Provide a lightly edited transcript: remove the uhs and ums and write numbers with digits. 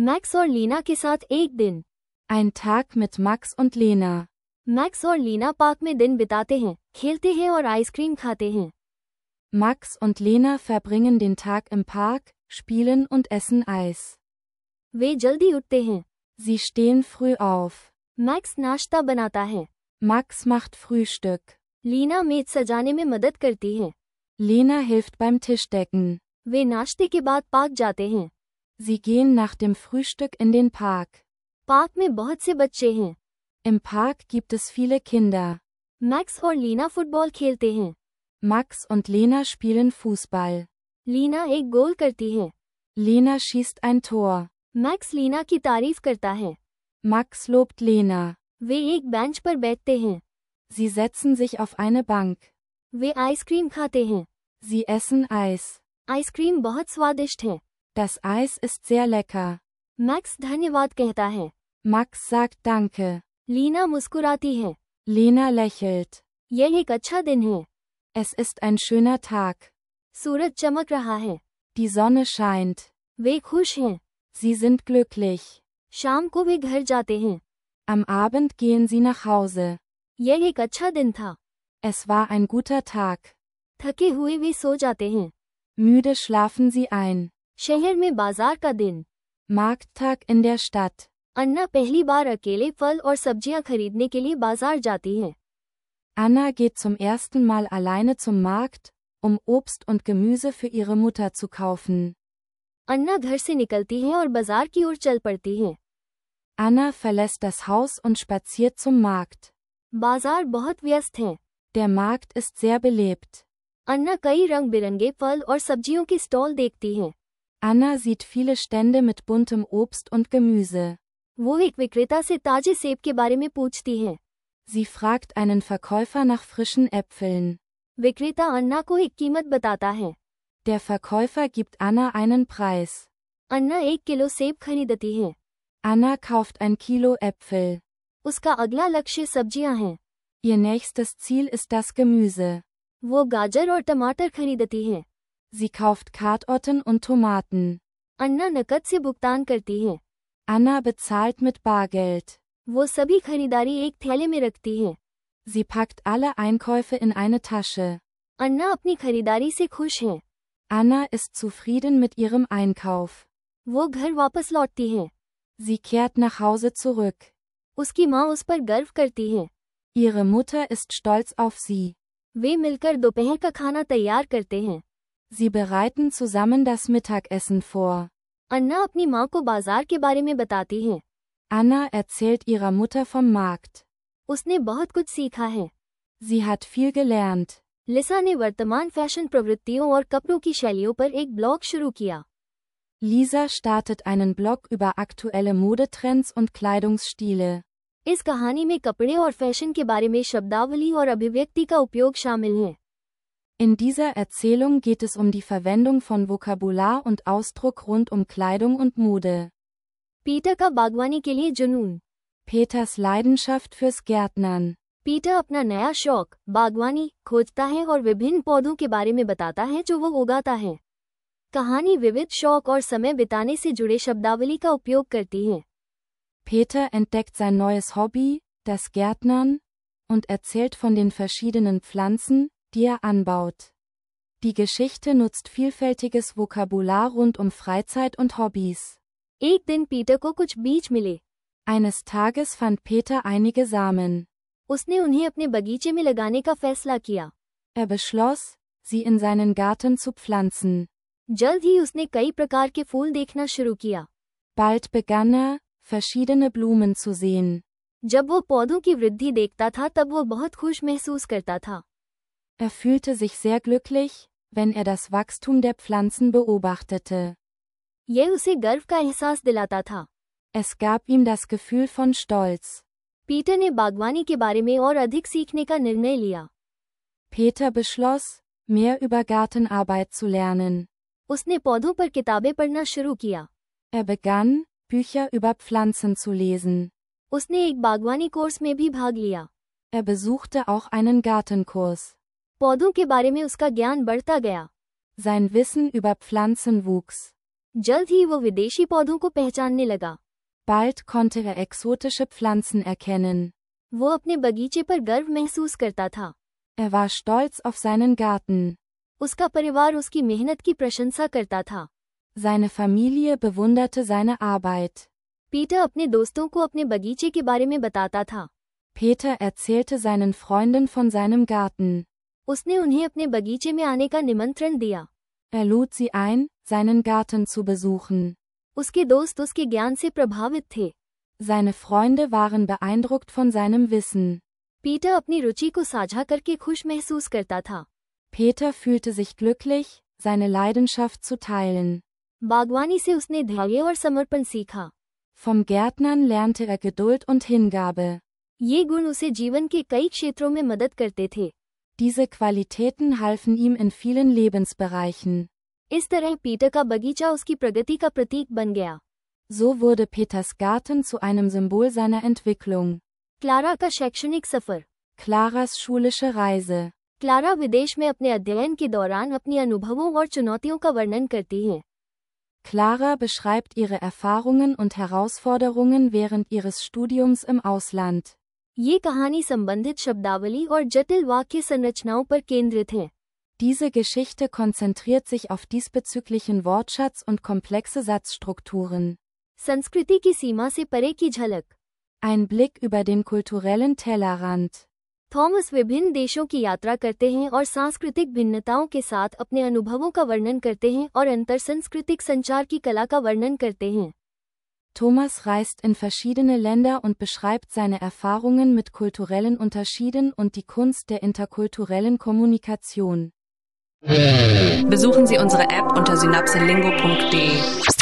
मैक्स और लीना के साथ एक दिन। Ein Tag mit Max und Lena. Max और लीना पार्क में दिन बिताते हैं, खेलते हैं और आइसक्रीम खाते हैं। Max und Lena verbringen den Tag im Park, spielen und essen Eis. वे जल्दी उठते हैं। Sie stehen früh auf. Max नाश्ता बनाता है। Max macht Frühstück. लीना मेज सजाने में मदद करती है। Lena hilft beim Tischdecken. वे नाश्ते के बाद पार्क जाते हैं। Sie gehen nach dem Frühstück in den Park. Park में बहुत से बच्चे हैं। Im Park gibt es viele Kinder. Max और लीना फुटबॉल खेलते हैं। Max und Lena spielen Fußball. Leena एक गोल करती है। Lena schießt ein Tor. Max Lena की तारीफ करता है। Max lobt Lena. वे एक बेंच पर बैठते हैं। Sie setzen sich auf eine Bank. वे आइसक्रीम खाते हैं। Sie essen Eis. आइसक्रीम बहुत स्वादिष्ट है। Das Eis ist sehr lecker. Max धन्यवाद कहता है। Max sagt Danke. लीना मुस्कुराती है। Lena lächelt. यह एक अच्छा दिन है। Es ist ein schöner Tag. सूरज चमक रहा है। Die Sonne scheint. वे खुश हैं। Sie sind glücklich. शाम को वे घर जाते हैं। Am Abend gehen sie nach Hause. यह एक अच्छा दिन था। Es war ein guter Tag. थके हुए वे सो जाते हैं। Müde schlafen sie ein. शहर में बाजार का दिन। Markttag in der Stadt. अन्ना पहली बार अकेले फल और सब्जियां खरीदने के लिए बाजार जाती है। Anna geht zum ersten Mal alleine zum Markt, um Obst und Gemüse für ihre Mutter zu kaufen. अन्ना घर से निकलती है और बाजार की ओर चल पड़ती है। Anna verlässt das Haus und spaziert zum Markt. बाजार बहुत व्यस्त है। Der Markt ist sehr belebt. अन्ना कई रंग बिरंगे फल और सब्जियों के स्टॉल देखती है। Anna sieht viele Stände mit buntem Obst und Gemüse. वो एक विक्रेता से ताजे सेब के बारे में पूछती है। Sie fragt einen Verkäufer nach frischen Äpfeln. विक्रेता अन्ना को एक कीमत बताता है। Der Verkäufer gibt Anna einen Preis. अन्ना 1 किलो सेब खरीदती है। Anna kauft ein Kilo Äpfel. उसका अगला लक्ष्य सब्जियां हैं। Ihr nächstes Ziel ist das Gemüse. वो गाजर और टमाटर खरीदती है। Sie kauft Karotten und Tomaten. अन्ना नकद से भुगतान करती है। Anna bezahlt mit Bargeld. वो सभी खरीदारी एक थैले में रखती है। Sie packt alle Einkäufe in eine Tasche. अन्ना अपनी खरीदारी से खुश है। Anna ist zufrieden mit ihrem Einkauf. वो घर वापस लौटती है। Sie kehrt nach Hause zurück. उसकी माँ उस पर गर्व करती है। Ihre Mutter ist stolz auf sie. वे मिलकर दोपहर का खाना तैयार करते हैं। Sie bereiten zusammen das Mittagessen vor. अन्ना अपनी माँ को बाजार के बारे में बताती है। Anna erzählt ihrer Mutter vom Markt. उसने बहुत कुछ सीखा है। Sie hat viel gelernt. लिसा ने वर्तमान फैशन प्रवृत्तियों और कपड़ों की शैलियों पर एक ब्लॉग शुरू किया। Lisa startet einen Blog über aktuelle Modetrends und Kleidungsstile. इस कहानी में कपड़े और फैशन के बारे में शब्दावली और अभिव्यक्ति का उपयोग शामिल है। In dieser Erzählung geht es um die Verwendung von Vokabular und Ausdruck rund um Kleidung und Mode. Peter का बागवानी के लिए जुनून। Peters Leidenschaft fürs Gärtnern. Peter अपना नया शौक बागवानी खोजता है और विभिन्न पौधों के बारे में बताता है जो वो उगाता है। कहानी विविध शौक और समय बिताने से जुड़े शब्दावली का उपयोग करती है। Peter entdeckt sein neues Hobby, das Gärtnern, und erzählt von den verschiedenen Pflanzen, die er anbaut. Die Geschichte nutzt vielfältiges Vokabular rund um Freizeit und Hobbys. एक दिन पीटर को कुछ बीज मिले। Eines Tages fand Peter einige Samen. उसने उन्हें अपने बगीचे में लगाने का फैसला किया। Er beschloss, sie in seinen Garten zu pflanzen. जल्द ही उसने कई प्रकार के फूल देखना शुरू किया। Bald begann er, verschiedene Blumen zu sehen. जब वो पौधों की वृद्धि देखता था तब वो बहुत खुश महसूस करता था। Er fühlte sich sehr glücklich, wenn er das Wachstum der Pflanzen beobachtete. यह उसे गर्व का एहसास दिलाता था। Es gab ihm das Gefühl von Stolz. Peter ने बागवानी के बारे में और अधिक सीखने का निर्णय लिया। Peter beschloss, mehr über Gartenarbeit zu lernen. उसने पौधों पर किताबें पढ़ना शुरू किया। Er begann, Bücher über Pflanzen zu lesen. उसने एक बागवानी कोर्स में भी भाग लिया। Er besuchte auch einen Gartenkurs. पौधों के बारे में उसका ज्ञान बढ़ता गया। Sein Wissen über Pflanzen wuchs. जल्द ही वो विदेशी पौधों को पहचानने लगा। Bald konnte er exotische Pflanzen erkennen. वो अपने बगीचे पर गर्व महसूस करता था। Er war stolz auf seinen Garten. उसका परिवार उसकी मेहनत की प्रशंसा करता था। Seine Familie bewunderte seine Arbeit. Peter अपने दोस्तों को अपने बगीचे के बारे में बताता था। Peter erzählte seinen Freunden von seinem Garten. उसने उन्हें अपने बगीचे में आने का निमंत्रण दिया। Er lud sie ein, seinen Garten zu besuchen. उसके दोस्त उसके ज्ञान से प्रभावित थे। Seine Freunde waren beeindruckt von seinem Wissen. Peter अपनी रुचि को साझा करके खुश महसूस करता था। Peter fühlte sich glücklich, seine Leidenschaft zu teilen. बागवानी से उसने धैर्य और समर्पण सीखा। Vom Gärtnern lernte er Geduld und Hingabe. ये गुण उसे जीवन के कई क्षेत्रों में मदद करते थे। Diese Qualitäten halfen ihm in vielen Lebensbereichen. इस तरह पीटर का बगीचा उसकी प्रगति का प्रतीक बन गया। So wurde Peters Garten zu einem Symbol seiner Entwicklung. Clara का शैक्षणिक सफर। Claras schulische Reise. क्लारा विदेश में अपने अध्ययन के दौरान अपनी अनुभवों और चुनौतियों का वर्णन करती है। Clara beschreibt ihre Erfahrungen und Herausforderungen während ihres Studiums im Ausland. ये कहानी संबंधित शब्दावली और जटिल वाक्य संरचनाओं पर केंद्रित है। Diese Geschichte konzentriert sich auf diesbezüglichen Wortschatz und komplexe Satzstrukturen. संस्कृति की सीमा से परे की झलक। Ein Blick über den kulturellen Tellerrand. Thomas विभिन्न देशों की यात्रा करते हैं और सांस्कृतिक भिन्नताओं के साथ अपने अनुभवों का वर्णन करते हैं और अंतरसांस्कृतिक संचार की कला का वर्णन करते हैं। Thomas reist in verschiedene Länder und beschreibt seine Erfahrungen mit kulturellen Unterschieden und die Kunst der interkulturellen Kommunikation. Besuchen Sie unsere App unter synapselingo.de.